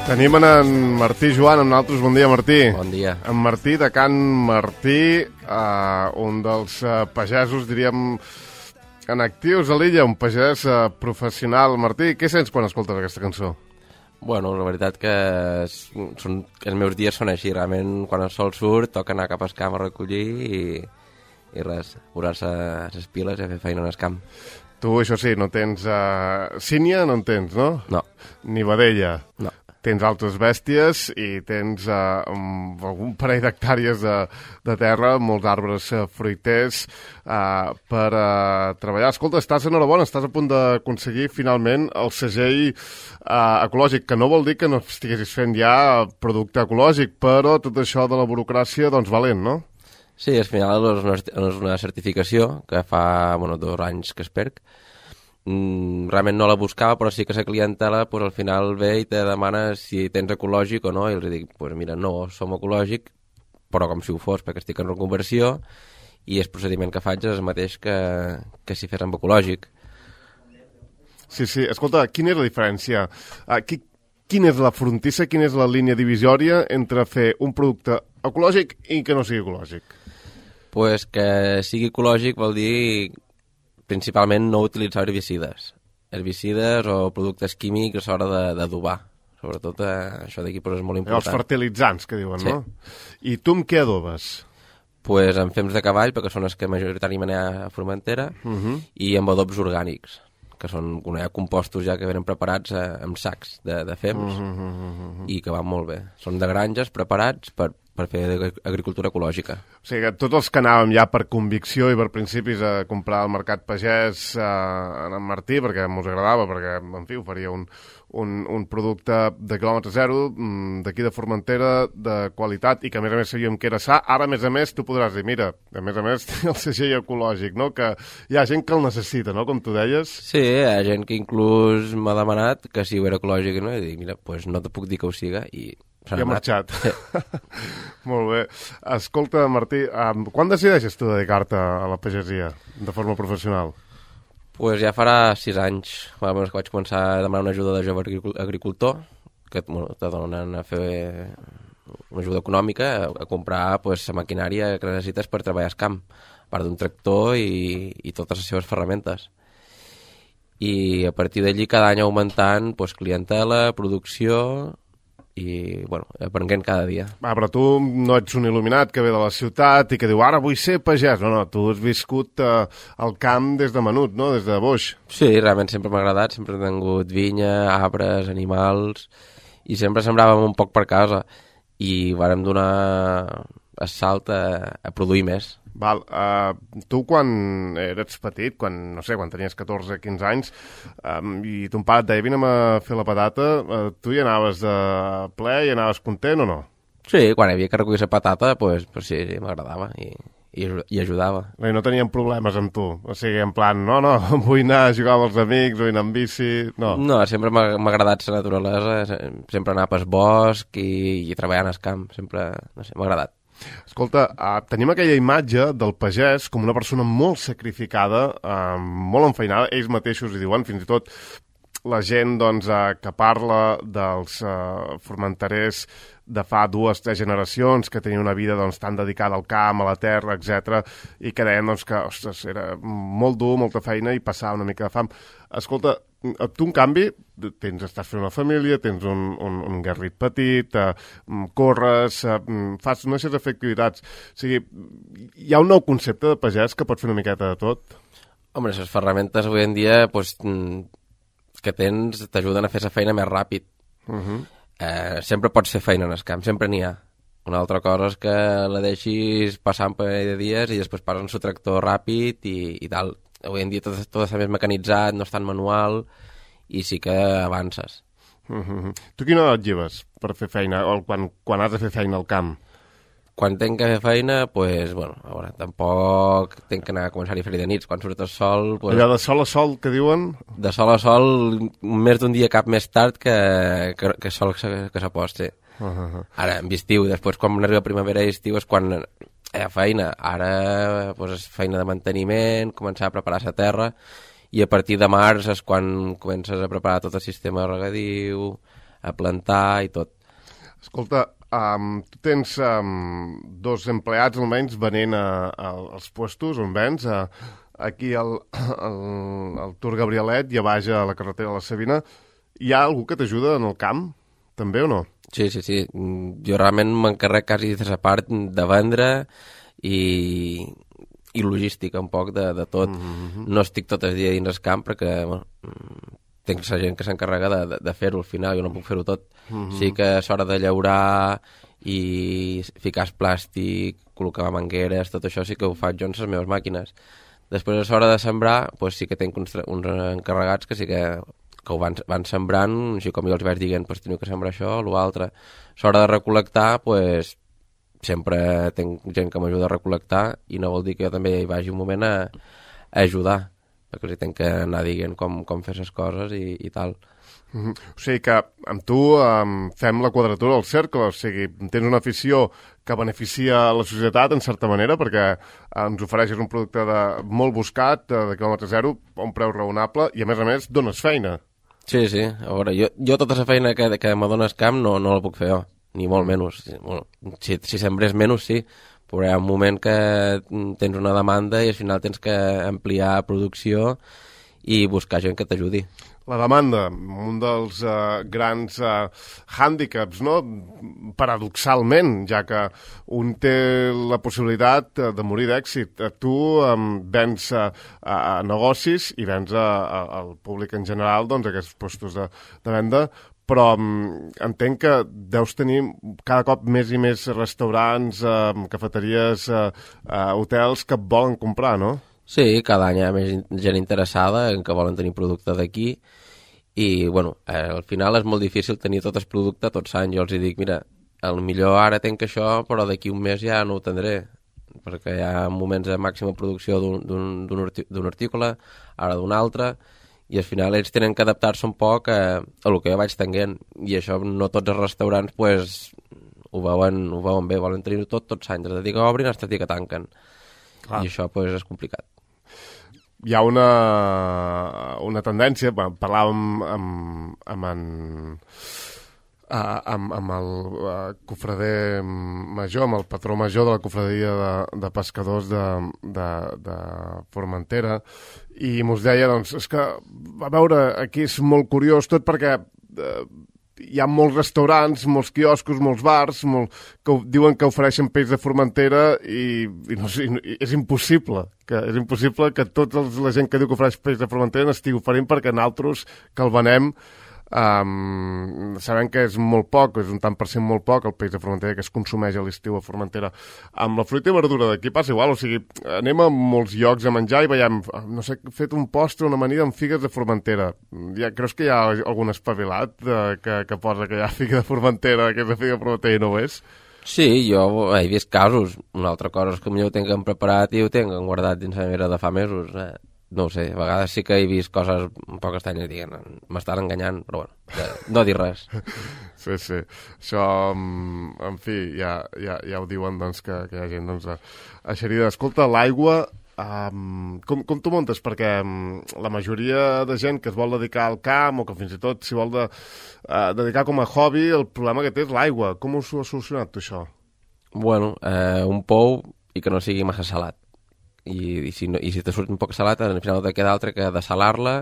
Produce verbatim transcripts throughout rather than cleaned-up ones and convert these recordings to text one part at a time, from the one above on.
Tenim en Martí Joan amb nosaltres. Bon dia, Martí. Bon dia. En Martí, de Can Martí, uh, un dels uh, pagesos, diríem, en actius a l'illa, un pagès uh, professional. Martí, què sents quan escoltes aquesta cançó? Bueno, la veritat que es, són, els meus dies són així. Realment, quan el sol surt, toca anar cap al camp a recollir i, i res, posar-se les piles i a fer feina en el camp. Tu, això sí, no tens uh, sínia, no en tens, no? No. Ni vedella. No. Tens altres bèsties i tens uh, um, algun parell d'hectàrees de, de terra, molts arbres uh, fruiters uh, per uh, treballar. Escolta, estàs enhorabona, estàs a punt d'aconseguir finalment el segell uh, ecològic, que no vol dir que no estiguessis fent ja producte ecològic, però tot això de la burocràcia, doncs valent, no? Sí, al final és una, és una certificació que fa bueno, dos anys que es perc. Mm, realment no la buscava, però sí que la clientela pues, al final ve i te demana si tens ecològic o no, i els dic, pues mira, no, som ecològic, però com si ho fos, perquè estic en reconversió i el procediment que faig és el mateix que, que si fes amb ecològic. Sí, sí, escolta, quina és la diferència? Uh, qui, quina és la frontissa, quina és la línia divisòria entre fer un producte ecològic i que no sigui ecològic? Pues que sigui ecològic vol dir principalment no utilitzar herbicides. Herbicides o productes químics a l'hora d'adobar. Sobretot eh, això d'aquí pues, és molt important. Els fertilitzants, que diuen, sí. No? I tu amb què adobes? Pues amb fems de cavall, perquè són els que majoritàriament hi ha a Formentera, uh -huh. i amb adobs orgànics, que són hi ha compostos ja que venen preparats eh, amb sacs de, de fems, uh -huh, uh -huh. i que van molt bé. Són de granges preparats per per fer agricultura ecològica. O sigui que tots els que anàvem ja per convicció i per principis a comprar al mercat pagès eh, en Martí, perquè mos agradava, perquè, en fi, oferia un, un, un producte de quilòmetre zero, d'aquí de Formentera, de qualitat, i que a més a més sabíem que era sa. Ara, a més a més, tu podràs dir, mira, a més a més té el segell ecològic, no? Que hi ha gent que el necessita, no?, com tu deies. Sí, hi ha gent que inclús m'ha demanat que si ho era ecològic, no? I dic, mira, pues no te puc dir que ho siga, i I ha marxat. Sí. Molt bé. Escolta, Martí, um, quan decideixes tu dedicar-te a la pagesia de forma professional? Pues ja farà sis anys, bueno, que vaig començar a demanar una ajuda de jove agricultor, que bueno, te donen a fer una ajuda econòmica, a, a comprar pues, la maquinària que necessites per treballar al camp, a part d'un tractor i, i totes les seves ferramentes. I a partir d'allí cada any augmentant pues, clientela, producció i, bueno, aprenent cada dia. Va, però tu no ets un il·luminat que ve de la ciutat i que diu, ara vull ser pagès. No, no, tu has viscut eh, al camp des de menut, no?, des de boix. Sí, realment sempre m'ha agradat, sempre he tingut vinya, arbres, animals, i sempre sembràvem un poc per casa, i vàrem donar el salt a, a produir més. Val, uh, tu quan eres petit, quan, no sé, quan tenies catorze quinze anys, um, i ton pare et deia, vine a fer la patata, uh, tu hi anaves de ple i anaves content o no? Sí, quan havia que recollir la patata, pues, pues sí, sí m'agradava i, i, i ajudava. I no tenien problemes amb tu? O sigui, en plan, no, no, vull anar a jugar amb els amics, vull anar amb bici, no? No, sempre m'ha agradat la naturalesa, sempre anar pel bosc i, i treballar en el camp, sempre, no sé, m'ha agradat. Escolta, uh, tenim aquella imatge del pagès com una persona molt sacrificada, uh, molt enfeinada, ells mateixos hi diuen, fins i tot la gent doncs, uh, que parla dels uh, formenterers de fa dues, tres generacions, que tenien una vida doncs, tan dedicada al camp, a la terra, etcètera, i que deien doncs, que ostres, era molt dur, molta feina i passava una mica de fam. Escolta, tu, en canvi, tens, estàs fent una família, tens un, un, un garrit petit, eh, corres, eh, fas una sèrie d'activitats. O sigui, hi ha un nou concepte de pagès que pot fer una miqueta de tot? Home, les ferramentes avui en dia pues, que tens t'ajuden a fer la feina més ràpid. Uh -huh. eh, sempre pots fer feina en el camp, sempre n'hi ha. Una altra cosa és que la deixis passar un parell de dies i després passen el tractor ràpid i, i tal. Avui en dia tot, tot està més mecanitzat, no és tan manual i sí que avances. Uh-huh. Tu quina edat lleves per fer feina o quan, quan has de fer feina al camp? Quan tenc que fer feina, pues, bueno, a veure, tampoc tenc que anar a començar a fer de nits. Quan surt el sol... Pues, allò de sol a sol que diuen? De sol a sol, més d'un dia cap més tard que, que, que sol que, que s'apost, sí. Uh-huh. Ara, en estiu, després quan arriba primavera i estiu és quan hi ha feina. Ara pues, és feina de manteniment, començar a preparar la terra, i a partir de març és quan comences a preparar tot el sistema regadiu, a plantar i tot. Escolta, um, tu tens um, dos empleats almenys venent a, a, als puestos on vens, a, aquí al, al, al Tour Gabrielet i a baix a la carretera de la Sabina. Hi ha algú que t'ajuda en el camp, també o no? Sí, sí, sí. Jo realment m'encarrec quasi de la part de vendre i, i logística un poc de, de tot. Mm-hmm. No estic tot el dia dins el camp perquè bueno, tinc la gent que s'encarrega de, de, de fer-ho al final, jo no puc fer-ho tot. Mm-hmm. Sí que és hora de llaurar i ficar el plàstic, col·locar mangueres, tot això sí que ho faig jo en les meves màquines. Després és hora de sembrar, doncs sí que tinc uns, uns encarregats que sí que que ho van, van sembrant, així com jo els vaig dient, pues, teniu que sembrar això, l'altre. A l'hora de recol·lectar, pues, sempre tinc gent que m'ajuda a recol·lectar i no vol dir que jo també hi vagi un moment a, a ajudar, perquè els tinc que anar dient com, com fer les coses i, i tal. Mm-hmm. O sigui que amb tu um, fem la quadratura del cercle, o sigui, tens una afició que beneficia la societat en certa manera perquè ens ofereixes un producte de, molt buscat, de, de quilòmetre zero, a un preu raonable i a més a més dones feina. Sí, sí. A veure, jo, jo tota la feina que, que m'adona el camp no, no la puc fer jo, ni molt menys. Bueno, si, si sembrés menys, sí, però hi ha un moment que tens una demanda i al final tens que ampliar producció i buscar gent que t'ajudi. La demanda, un dels uh, grans uh, hàndicaps, no? Paradoxalment, ja que un té la possibilitat uh, de morir d'èxit. Tu um, vens uh, a negocis i vens a, a, al públic en general, doncs, aquests postos de, de venda, però um, entenc que deus tenir cada cop més i més restaurants, uh, cafeteries, uh, uh, hotels que et volen comprar, no? Sí, cada any hi ha més gent interessada en que volen tenir producte d'aquí i, bueno, eh, al final és molt difícil tenir tot el producte tots els anys. Jo els dic, mira, al millor ara tenc això, però d'aquí un mes ja no ho tindré, perquè hi ha moments de màxima producció d'un article, ara d'un altre, i al final ells tenen que adaptar-se un poc a, a el que jo vaig tenint, i això no tots els restaurants pues, ho, veuen, ho veuen bé, volen tenir-ho tot tots els anys, des de dir que obrin fins a dir que tanquen. Clar. I això pues, és complicat. Hi ha una, una tendència, bueno, parlàvem amb, amb, en, amb, amb el cofrader major, amb el patró major de la cofraderia de, de pescadors de, de, de Formentera, i mos deia, doncs, és que, a veure, aquí és molt curiós tot perquè eh, hi ha molts restaurants, molts quioscos, molts bars, molt, que diuen que ofereixen peix de Formentera i, i, no sé, i és impossible, que és impossible que tota la gent que diu que ofereix peix de Formentera n'estigui oferint perquè nosaltres que el venem um, sabem que és molt poc, és un tant per cent molt poc el peix de Formentera que es consumeix a l'estiu a Formentera. Amb la fruita i verdura d'aquí passa igual, o sigui, anem a molts llocs a menjar i veiem, no sé, fet un postre, una amanida amb figues de Formentera. Ja, creus que hi ha algun espavilat de, que, que posa que hi ha figa de Formentera, que és la figa de Formentera i no ho és? Sí, jo he vist casos. Una altra cosa és que potser ho tinguem preparat i ho tinguem guardat dins la nevera de fa mesos. Eh? No ho sé, a vegades sí que he vist coses un poc estranyes i diguen, m'estan enganyant, però bueno, ja, no dir res. Sí, sí. Això, en fi, ja, ja, ja ho diuen, doncs, que, que hi ha gent, doncs, eixerida. Escolta, l'aigua, um, com, com t'ho muntes? Perquè um, la majoria de gent que es vol dedicar al camp o que fins i tot s'hi vol de, uh, dedicar com a hobby, el problema que té és l'aigua. Com ho has solucionat, tu, això? Bueno, eh, un pou i que no sigui massa salat. I, i, si, no, i si te surt un poc salat, al final no te queda altre que desalar-la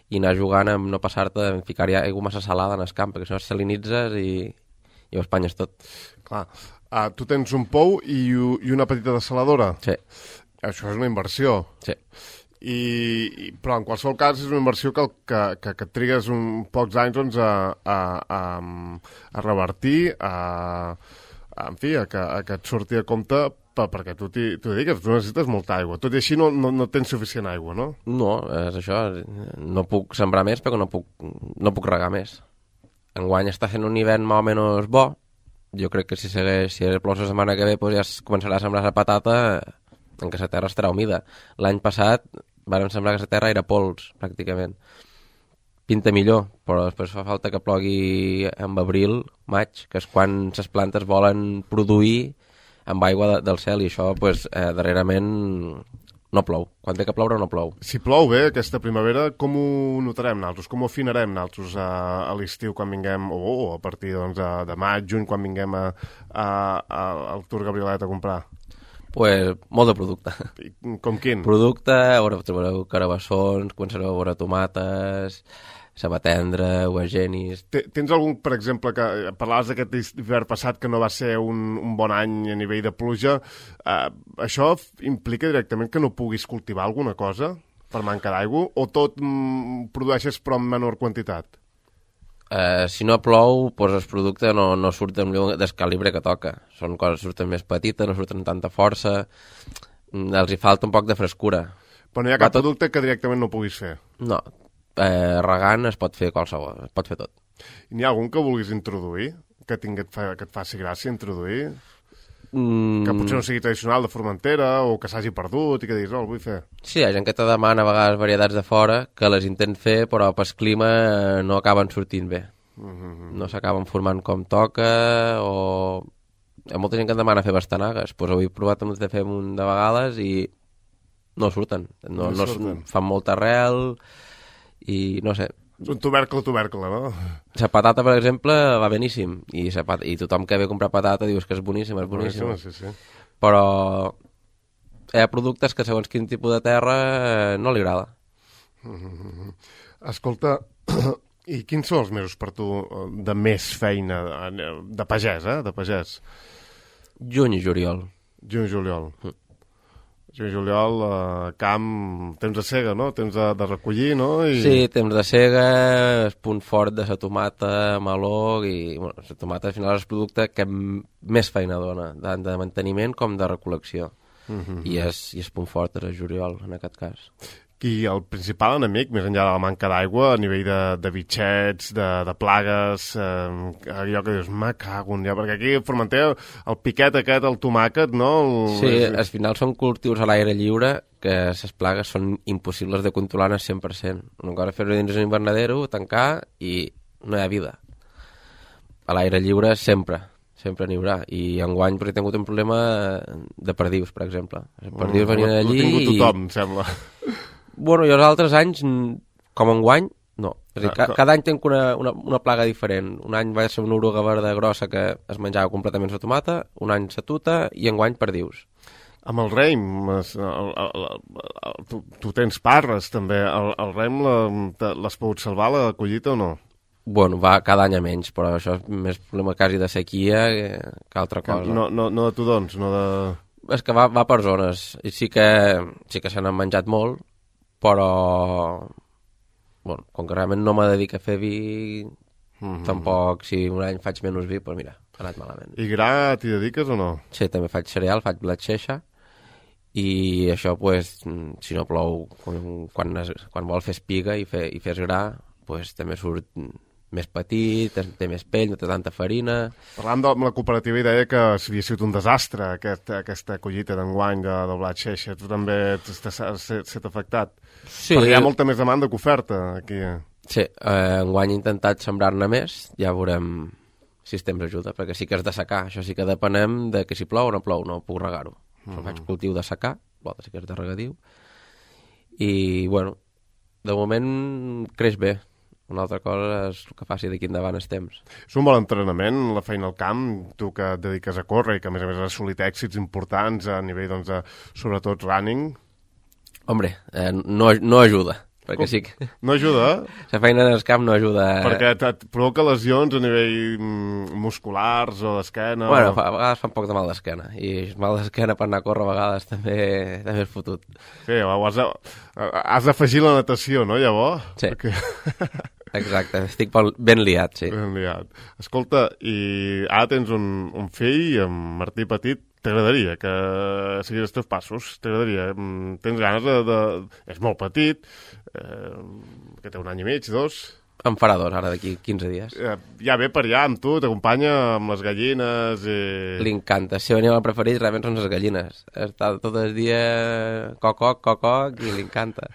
i anar jugant amb no passar-te, en ficar-hi aigua massa salada en el camp, perquè si no es salinitzes i, i ho espanyes tot. Clar. Uh, tu tens un pou i, i una petita desaladora? Sí. Això és una inversió. Sí. I, i, però en qualsevol cas és una inversió que, que, que, que et trigues un pocs anys doncs, a, a, a, a revertir, a, a, en fi, a que, a que et surti a compte perquè tu t'hi dediques, tu necessites molta aigua. Tot i així no, no, no tens suficient aigua, no? No, és això. No puc sembrar més perquè no puc, no puc regar més. Enguany està sent un hivern més o menys bo. Jo crec que si segueix, si plou la setmana que ve, doncs ja es començarà a sembrar la patata en què la terra estarà humida. L'any passat vam sembrar que la terra era pols, pràcticament. Pinta millor, però després fa falta que plogui en abril, maig, que és quan les plantes volen produir amb aigua de, del cel, i això pues, eh, darrerament no plou. Quan té que ploure no plou. Si plou bé aquesta primavera, com ho notarem nosaltres? Com ho afinarem nosaltres a, a l'estiu quan vinguem, o oh, a partir doncs, de, de maig, juny, quan vinguem a, a, a, al Tour Gabrielet a comprar? Pues, molt de producte. I, com quin? Producte, a veure, trobareu carabassons, començareu a veure tomates, sabatendre, uagenis... Tens algun, per exemple, que parlaves d'aquest hivern passat que no va ser un, un bon any a nivell de pluja, eh, això implica directament que no puguis cultivar alguna cosa per manca d'aigua, o tot mm, produeixes però en menor quantitat? Eh, si no plou, doncs el producte no, no surt del calibre que toca. Són coses que surten més petites, no surten amb tanta força, els hi falta un poc de frescura. Però no hi ha cap tot... producte que directament no puguis fer? No. Eh, regant es pot fer qualsevol, es pot fer tot. I n'hi ha algun que vulguis introduir? Que, tingui, que et faci gràcia introduir? Mm. Que potser no sigui tradicional de Formentera o que s'hagi perdut i que diguis, no, el vull fer. Sí, hi ha gent que te demana a vegades varietats de fora que les intent fer però pel clima no acaben sortint bé. Mm-hmm. No s'acaben formant com toca o... Hi ha molta gent que em demana fer bastanagues. Pues ho he provat de fer un munt de vegades i no surten. No, no, no fan molta arrel... i no sé... Un tubercle a tubercle, no? La patata, per exemple, va beníssim. I, pat... I tothom que ve a comprar patata dius que és boníssima, és boníssima. Sí, sí. Però hi ha productes que segons quin tipus de terra no li agrada. Mm-hmm. Escolta, i quins són els mesos per tu de més feina, de pagès, eh? De pagès. Juny i juliol. Juny i juliol. Mm. Juny i juliol, eh, camp, temps de sega, no? Temps de, de recollir, no? I... Sí, temps de sega, el punt fort de la tomata, meló, i bueno, la tomata al final és el producte que més feina dona, tant de manteniment com de recol·lecció. Mm-hmm. I, és, I és punt fort és el juliol, en aquest cas. I el principal enemic, més enllà de la manca d'aigua, a nivell de, de bitxets, de, de plagues, eh, allò que dius, me cago en dia, perquè aquí a Formentera el piquet aquest, el tomàquet, no? El... Sí, al final són cultius a l'aire lliure que les plagues són impossibles de controlar al cent per cent. Un cop fer-ho dins un invernadero, tancar i no hi ha vida. A l'aire lliure sempre, sempre n'hi haurà. I enguany he tingut un problema de perdius, per exemple. Els perdius mm, venien allí i... Ho ha tingut tothom, i... sembla. Bueno, i els altres anys, com enguany, no. És a dir, ca cada any tenc una, una, una plaga diferent. Un any va ser una oruga verda grossa que es menjava completament la tomata, un any la tuta i enguany perdius. Amb el raïm, el, el, el, el, tu, tu tens parres també, el, el raïm l'has pogut salvar la collita o no? Bueno, va cada any a menys, però això és més problema quasi de sequia que, que altra cosa. No, no, no de tudons, no de... És que va, va per zones, i sí que, sí que se n'han menjat molt, però bueno, com que realment no me dedico a fer vi, mm-hmm. tampoc si un any faig menys vi, doncs mira, ha anat malament. I gra t'hi dediques o no? Sí, també faig cereal, faig blat xeixa i això, pues, si no plou, quan, es, quan vol fer espiga i, fer, i fes gra, pues, també surt més petit, té més pell, no té tanta farina... Parlant amb la cooperativa i deia que havia sigut un desastre aquest, aquesta collita d'enguany de, de blat xeixa. Tu també has estat afectat? Sí. Perquè hi ha molta més demanda que oferta aquí. Sí, eh, enguany he intentat sembrar-ne més, ja veurem si el temps ajuda, perquè sí que és de secar, això sí que depenem de que si plou o no plou, no puc regar-ho. Mm -hmm. Faig cultiu de secar, l'altre sí que és de regadiu, i bueno, de moment creix bé. Una altra cosa és el que faci d'aquí endavant els temps. És un bon entrenament, la feina al camp, tu que et dediques a córrer i que a més a més has assolit èxits importants a nivell, doncs, de, sobretot running. Hombre, eh, no, no ajuda, perquè Com? sí que... No ajuda? La feina en el camp no ajuda... Perquè et provoca lesions a nivell musculars o d'esquena? Bueno, o... a vegades fa un poc de mal d'esquena, i el mal d'esquena per anar a córrer a vegades també, també és fotut. Sí, has de, has d'afegir la natació, no, llavors? Sí. Perquè... Exacte, estic ben liat, sí. Ben liat. Escolta, i ara tens un, un fill, en Martí Petit, t'agradaria que seguís els teus passos? T'agradaria? Tens ganes de... de... És molt petit, eh, que té un any i mig, dos... En farà dos, ara, d'aquí quinze dies. Eh, ja ve per allà amb tu, t'acompanya amb les gallines i... Li encanta. El seu animal preferit realment són les gallines. Està tot el dia coc-coc, coc-coc, i li encanta.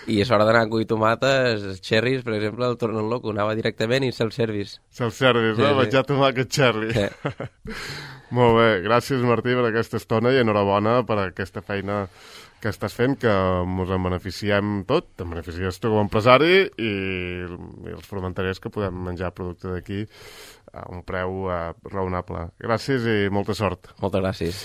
I és hora d'anar a collir tomates, els cherries, per exemple, el tornen loco. Anava directament i se'l servis. Se'l servis, sí, no? Sí. Menjar tomàquet cherry. Sí. Molt bé. Gràcies, Martí, per aquesta estona i enhorabona per aquesta feina que estàs fent, que ens en beneficiem tot, te'n beneficies tu com a empresari i, i els formentariers que podem menjar producte d'aquí a un preu uh, raonable. Gràcies i molta sort. Moltes gràcies.